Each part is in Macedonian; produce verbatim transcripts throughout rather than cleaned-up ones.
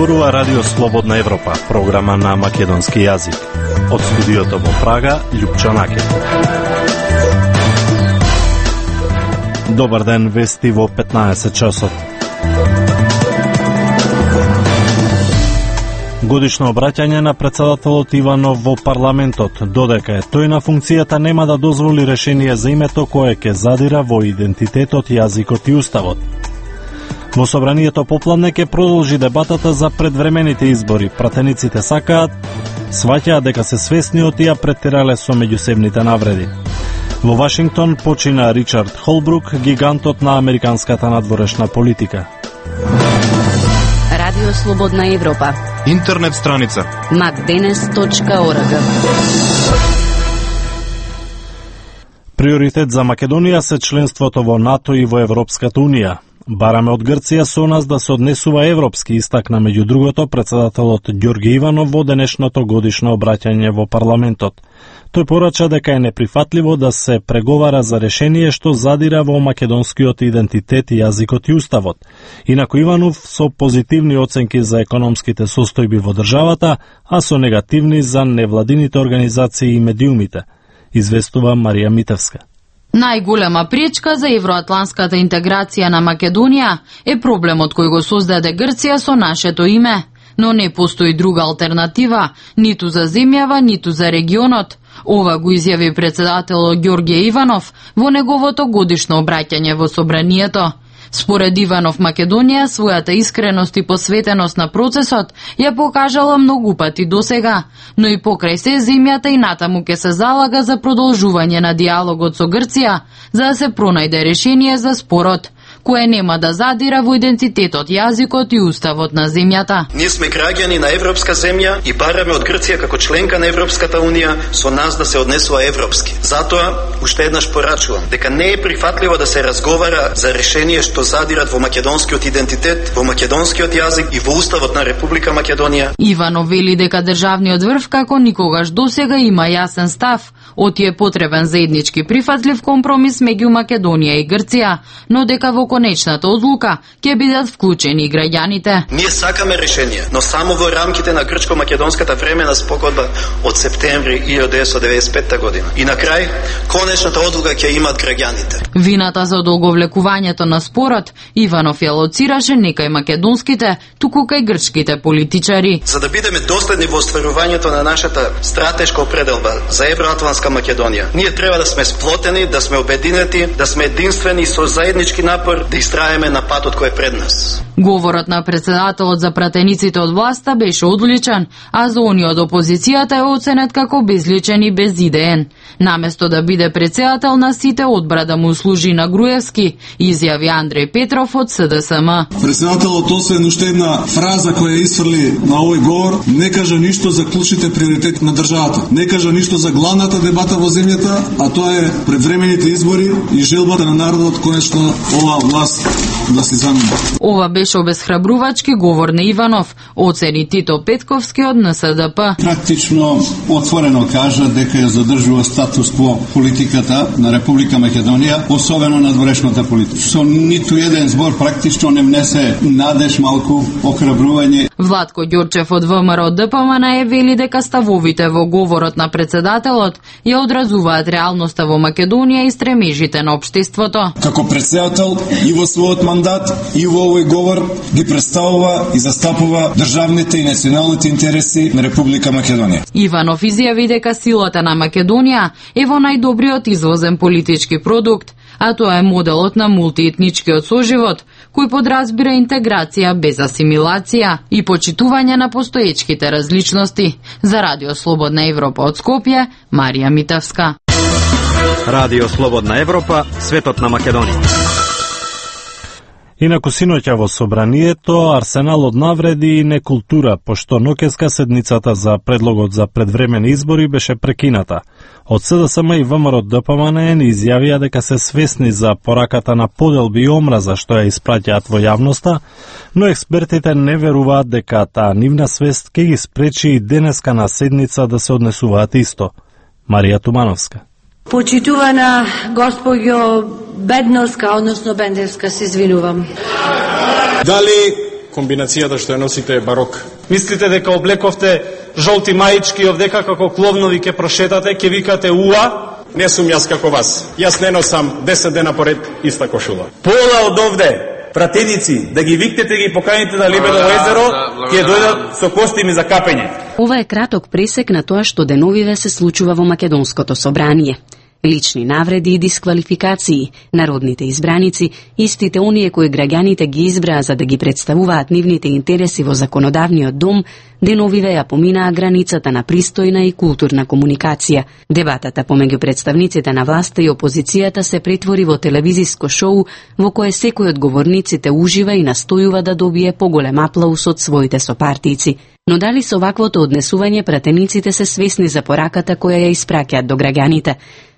зборува Радио Слободна Европа, програма на македонски јазик. Од студиото во Прага, Љупчо Накет. Добар ден, вести во петнаесет часот. Годишно обраќање на председателот Иванов во парламентот, додека е тој на функцијата, нема да дозволи решение за името кое ќе задира во идентитетот, јазикот и уставот. Во собранието попладне ќе продолжи дебатата за предвремените избори. Пратениците сакаат, сваќаат дека се свесни од тие претерале со меѓусебните навреди. Во Вашингтон почина Ричард Холбрук, гигантот на американската надворешна политика. Радио Слободна Европа. Интернет страница макденес точка орг. Приоритет за Македонија се членството во НАТО и во Европската Унија. Бараме од Грција со нас да се однесува европски, истакна меѓу другото председателот Ѓорги Иванов во денешното годишно обраќање во парламентот. Тој порача дека е неприфатливо да се преговара за решение што задира во македонскиот идентитет, јазикот и уставот. Инаку Иванов со позитивни оценки за економските состојби во државата, а со негативни за невладините организации и медиумите, известува Марија Митевска. Најголема пречка за евроатланската интеграција на Македонија е проблемот кој го создаде Грција со нашето име, но не постои друга алтернатива, ниту за земјава, ниту за регионот. Ова го изјави председателот Ѓорѓе Иванов во неговото годишно обраќање во собранието. Според Иванов, Македонија својата искреност и посветеност на процесот ја покажала многу пати досега, но и покрај се земјата и натаму ќе се залага за продолжување на диалогот со Грција, за да се пронајде решение за спорот, кое нема да задира во идентитетот, јазикот и уставот на земјата. Ние сме граѓани на европска земја и бараме од Грција како членка на Европската Унија со нас да се однесува европски. Затоа, уште еднаш порачувам дека не е прифатливо да се разговара за решение што задират во македонскиот идентитет, во македонскиот јазик и во уставот на Република Македонија. Иванов вели дека државниот врв како никогаш досега има јасен став, оти е потребен заеднички прифатлив компромис меѓу Македонија и Грција, но дека во конечната одлука ќе бидат вклучени и граѓаните. Ние сакаме решение, но само во рамките на грчко-македонската времена спогодба од септември илјадесетстотини деветдесет и петта година. И на крај, конечната одлука ќе имат граѓаните. Вината за одолговлекувањето на спорот Иванов ја лоцираше не кај македонските, туку кај грчките политичари. За да бидеме доследни во остварувањето на нашата стратешка определба за евроатлантска Македонија, ние треба да сме сплотени, да сме обединети, да сме единствени со заеднички напор да истраеме на патот кој е пред нас. Говорот на председателот за пратениците од власта беше одличен, а за оние од опозицијата е оценет како безличен и безидеен. Наместо да биде председател на сите, одбра да му служи на Груевски, изјави Андреј Петров од С Д С М. Председателот освен уште една фраза која исфрли на овој говор, не кажа ништо за клучните приоритети на државата. Не кажа ништо за главната дебата во земјата, а тоа е предвремените избори и желбата на народот конечно оваа власт да се замени. Ова беше обезхрабрувачки говор на Иванов, оцени Тито Петковски од Н С Д П. Практично отворено кажа дека ја задржува статус кво политиката на Република Македонија, особено на надворешната политика. Со ниту еден збор практично не внесе надеж, малку охрабрување. Владко Ѓорчев од В М Р Д П М Н е вели дека ставовите во говорот на председателот ја одразуваат реалноста во Македонија и стремежите на општеството. Како председател и во својот мандат и во овој говор ги представува и застапува државните и националните интереси на Република Македонија. Иванов изјави дека силата на Македонија е во најдобриот извозен политички продукт, а тоа е моделот на мултиетничкиот соживот, кој подразбира интеграција без асимилација и почитување на постоечките различности. За Радио Слободна Европа од Скопје, Марија Митевска. Радио Слободна Европа, светот на Македонија. Инаку синоќа во собранието арсенал од навреди и некултура, пошто ноќеска седницата за предлогот за предвремени избори беше прекината. Од С Д С М и В М Р Д П М Н изјавија дека се свесни за пораката на поделби и омраза што ја испраќаат во јавноста, но експертите не веруваат дека таа нивна свест ќе ги спречи и денеска на седница да се однесуваат исто. Марија Тумановска. Почитувана госпоѓо Бедновска, односно Бендевска, се извинувам. Дали комбинацијата што ја носите е барок. Мислите дека облековте жолти маички овдека како кловнови ке прошетате, ке викате уа? Не сум јас како вас. Јас не носам десет дена поред иста кошула. Пола од овде пратеници, да ги викнете, ги поканите на Лебедово езеро, ќе дојдат со костими за капење. Ова е краток пресек на тоа што деновиве се случува во Македонското собрание. Лични навреди и дисквалификации, народните избраници, истите оние кои граѓаните ги избраа за да ги представуваат нивните интереси во законодавниот дом, деновиве ја поминаа границата на пристојна и културна комуникација. Дебатата помеѓу представниците на власта и опозицијата се претвори во телевизиско шоу во кое секој од говорниците ужива и настојува да добие поголем аплауз од своите сопартици. Но дали со ваквото однесување пратениците се свесни за пораката која ја испраќаат до граѓаните?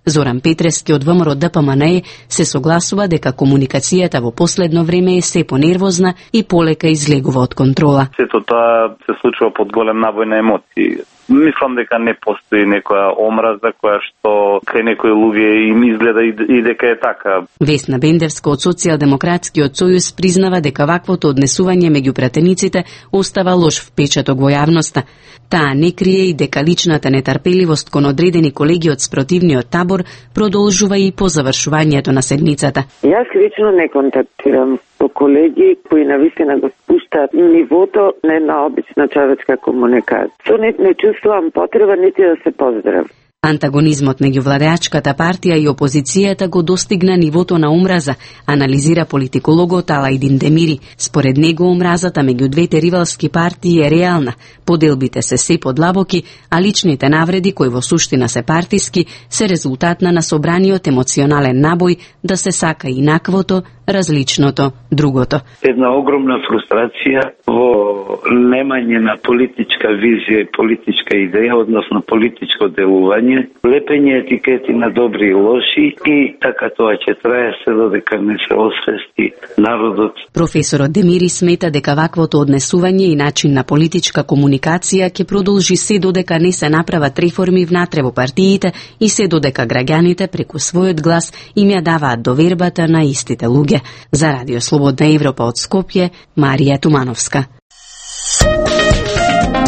Зоран Петрески од ВМРО Д П М Н Е се согласува дека комуникацијата во последно време е се понервозна и полека излегува од контрола. Сето тоа се случува под голем набој на емоции. Мислам дека не постои некоја омраза која што кај некои луѓе им изгледа и дека е така. Весна Бендевска од Социјалдемократскиот сојуз признава дека ваквото однесување меѓу пратениците остава лош впечаток во јавноста. Таа не крие и дека личната нетрпеливост кон одредени колеги од спротивниот табор продолжува и по завршувањето на седмицата. Јас лично не контактирам со колеги кои навистина го спуштаат нивото на една обична човечка комуникација. Со не, не чувствувам потреба нити да се поздравам. Антагонизмот меѓу владеачката партија и опозицијата го достигна нивото на омраза, анализира политикологот Алајдин Демири. Според него омразата меѓу двете ривалски партии е реална, поделбите се се подлабоки, а личните навреди, кои во суштина се партиски, се резултат на насобраниот емоционален набој да се сака инаквото, различното, другото. Една огромна фрустрација во немање на политичка визија и политичка идеја, односно политичко делување, лепење етикети на добри и лоши и така тоа ќе трае се додека не се освести народот. Професорот Демири смета дека ваквото однесување и начин на политичка комуникација ќе продолжи се додека не се направат реформи внатре во партиите и се додека граѓаните преку својот глас им ја даваат довербата на истите луѓе. За Радио Слободна Европа од Скопје, Марија Тумановска.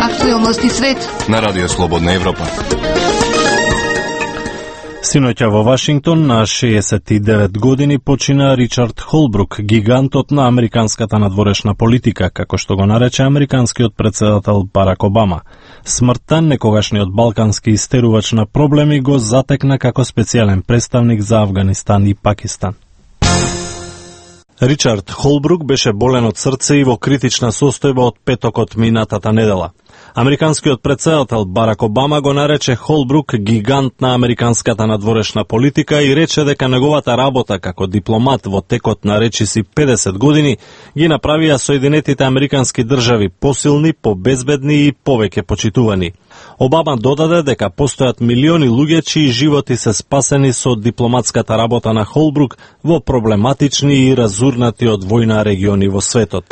Актуелности свет на Радио Слободна Европа. Синоќа во Вашингтон на шеесет и девет години почина Ричард Холбрук, гигантот на американската надворешна политика, како што го нарече американскиот претседател Барак Обама. Смртта некогашниот балкански истерувач на проблеми го затекна како специјален представник за Авганистан и Пакистан. Ричард Холбрук беше болен од срце и во критична состојба од петокот минатата недела. Американскиот претседател Барак Обама го нарече Холбрук гигант на американската надворешна политика и рече дека неговата работа како дипломат во текот на речиси педесет години ги направија Соединетите американски држави посилни, побезбедни и повеќе почитувани. Обама додаде дека постојат милиони луѓе чии животи се спасени со дипломатската работа на Холбрук во проблематични и разурнати од војна региони во светот.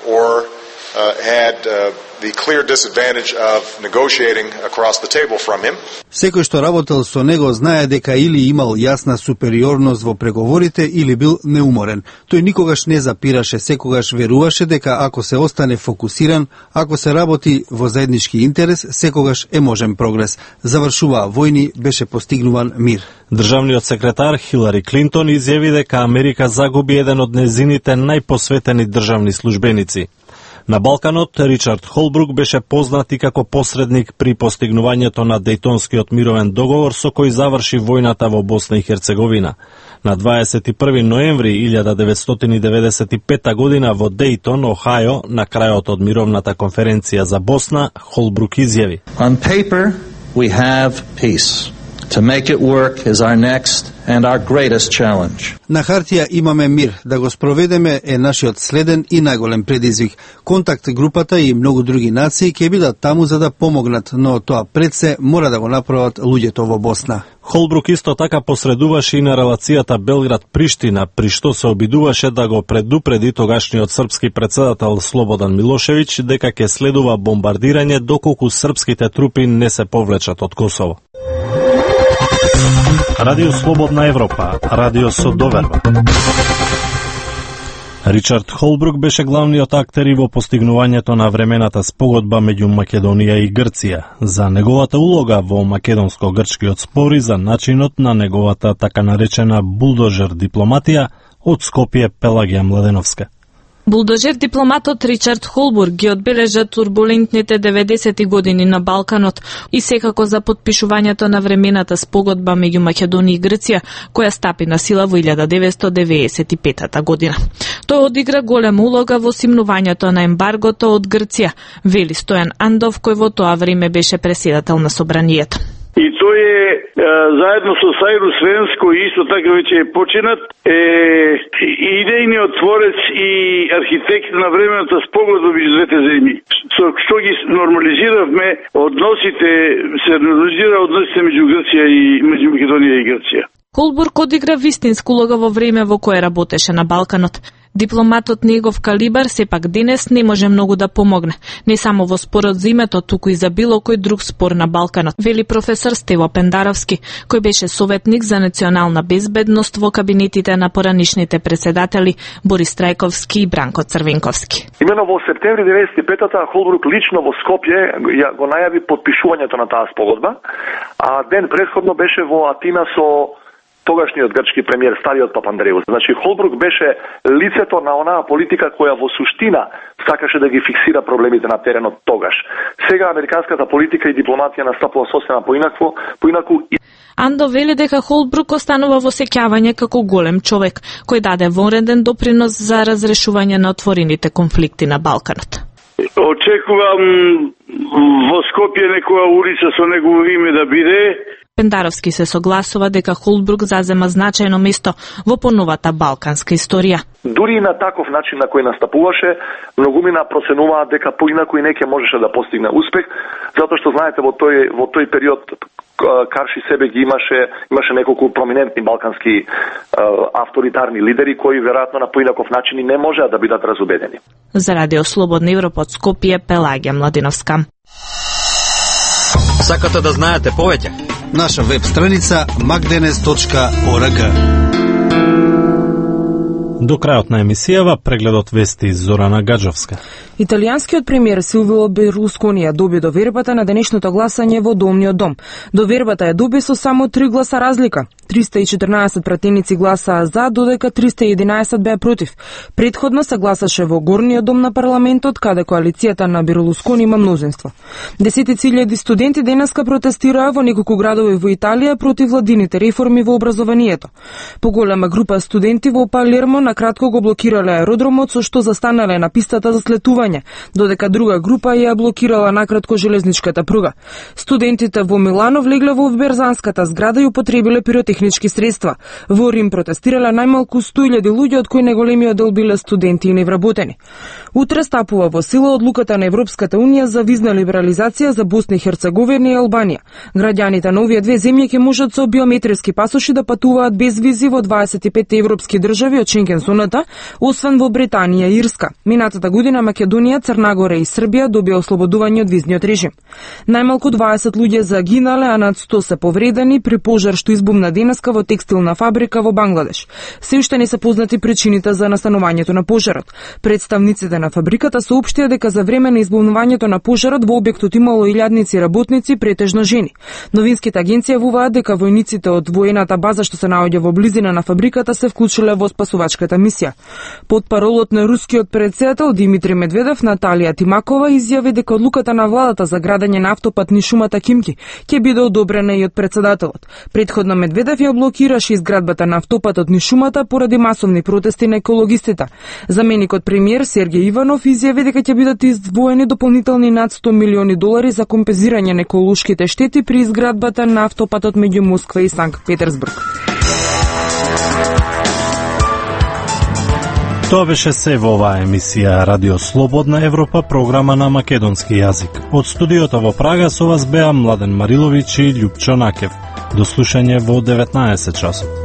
or uh, had uh, the clear disadvantage of negotiating across the table from him. Секој што работел со него знае дека или имал јасна супериорност во преговорите или бил неуморен. Тој никогаш не запираше, секогаш веруваше дека ако се остане фокусиран, ако се работи во заеднички интерес, секогаш е можен прогрес. Завршуваа војни, беше постигнуван мир. Државниот секретар Хилари Клинтон изјави дека Америка загуби еден од незините најпосветени државни службеници. На Балканот, Ричард Холбрук беше познат и како посредник при постигнувањето на Дејтонскиот мировен договор со кој заврши војната во Босна и Херцеговина. На дваесет и први ноември илјада деветстотини деветдесет и пета година во Дејтон, Охајо, на крајот од мировната конференција за Босна, Холбрук изјави: On paper, we have peace. To make it work is our next and our greatest challenge. На хартија имаме мир, да го спроведеме е нашиот следен и најголем предизвик. Контакт групата и многу други нации ќе бидат таму за да помогнат, но тоа пред се мора да го направат луѓето во Босна. Холбрук исто така посредуваше и на релацијата Белград-Приштина, при што се обидуваше да го предупреди тогашниот српски претседател Слободан Милошевиќ дека ќе следува бомбардирање доколку српските трупи не се повлечат од Косово. Радио Слободна Европа, радио со доверба. Ричард Холбрук беше главниот актер и во постигнувањето на времената спогодба меѓу Македонија и Грција, за неговата улога во македонско-грчкиот спор и за начинот на неговата така наречена булдожер дипломатија од Скопје Пелагија Младеновска. Булдожер дипломатот Ричард Холбрук ги одбележа турбулентните деветдесети години на Балканот и секако за потпишувањето на времената спогодба меѓу Македонија и Грција, која стапи на сила во илјада деветстотини деветдесет и петата година. Тој одигра голема улога во симнувањето на ембаргото од Грција, вели Стојан Андов, кој во тоа време беше преседател на собранието. И тој е, е заедно со Сајру Свенско и исто така веќе е починат, е идејниот творец и архитект на времената спогодба меѓу двете земји. Со што ги нормализиравме односите, се нормализира односите меѓу Грција и меѓу Македонија и Грција. Холбрук одигра вистинска улога во време во кое работеше на Балканот. Дипломатот негов калибар сепак денес не може многу да помогне, не само во спорот за името, туку и за било кој друг спор на Балканот, вели професор Стево Пендаровски, кој беше советник за национална безбедност во кабинетите на поранишните председатели Борис Трајковски и Бранко Црвенковски. Имено во септември деветдесет и петата Холбрук лично во Скопје го најави подпишувањето на таа спогодба, а ден претходно беше во Атина со тогашниот грчки премиер стариот Папандреус. Значи Холбрук беше лицето на онаа политика која во суштина сакаше да ги фиксира проблемите на теренот тогаш. Сега американската политика и дипломатија настапува сосема поинакво, поинаку. Андо вели дека Холбрук останува во сеќавање како голем човек, кој даде вонреден допринос за разрешување на отворените конфликти на Балканот. Очекувам во Скопје некоја улица со негово име да биде. Пендаровски се согласува дека Холбрук зазема значајно место во поновата балканска историја. Дури и на таков начин на кој настапуваше, многумина проценуваат дека поинаку и неќе можеше да постигне успех, затоа што знаете во тој во тој период карши себе ги имаше имаше неколку проминентни балкански е, авторитарни лидери кои веројатно на поинаков начин и не можеа да бидат разубедени. За Радио Слободна Европа од Скопје, Пелагија Младеновска. Сакате да знаете повеќе? Наша веб страница макденес точка орг. До крајот на емисијава прегледот вести Зорана Гаджовска. Италијанскиот премиер Силвио Берлускони ја доби довербата на денешното гласање во Домниот дом. Довербата ја доби со само три гласа разлика. триста и четрнаесет пратеници гласаа за, додека триста и единаесет беа против. Предходно се гласаше во Горниот дом на парламентот, каде коалицијата на Берлускони има мнозинство. Десетици илјади студенти денеска протестираа во неколку градови во Италија против владините реформи во образованието. Поголема група студенти во Палермо на кратко го блокирале аеродромот, со што застанале на пистата за слетување, додека друга група ја блокирала накратко железничката пруга. Студентите во Милано влегле во Берзанската зграда и употребиле пиротехнички средства. Во Рим протестирале најмалку сто илјади луѓе, од кои најголемиот дел биле студенти и невработени. Утре стапува во сила одлуката на Европската унија за визна либерализација за Босна и Херцеговина и Албанија. Граѓаните на овие две земји ќе можат со биометриски пасоши да патуваат без визи во дваесет и пет европски држави од Шенген зоната, освен во Британија и Ирска. Минатата година Македонија, Црна Гора и Србија добија ослободување од визниот режим. Најмалку дваесет луѓе загинале, а над сто се повредени при пожар што избумна денеска во текстилна фабрика во Бангладеш. Се уште не се познати причините за настанувањето на пожарот. Представниците на фабриката соопштија дека за време на избумнувањето на пожарот во објектот имало илјадници работници, претежно жени. Новинските агенции јавуваат дека војниците од воената база што се наоѓа во близина на фабриката се вклучиле во спасувачката мисија. Под паролот на рускиот председател Димитри Медведев, Наталија Тимакова изјави дека одлуката на владата за градење на автопат низ шумата Кимки ќе биде одобрена и од председателот. Предходно Медведев ја блокираше изградбата на автопатот низ шумата поради масовни протести на екологистите. Заменикот премиер Сергеј Иванов изјави дека ќе бидат издвоени дополнителни над сто милиони долари за компензирање на еколошките штети при изградбата на автопатот меѓу Москва и Санкт Петерсбург. Тоа беше се во оваа емисија Радио Слободна Европа, програма на македонски јазик. Од студиото во Прага со вас беа Младен Мариловиќ и Љупчо Накев. До слушање во деветнаесет часот.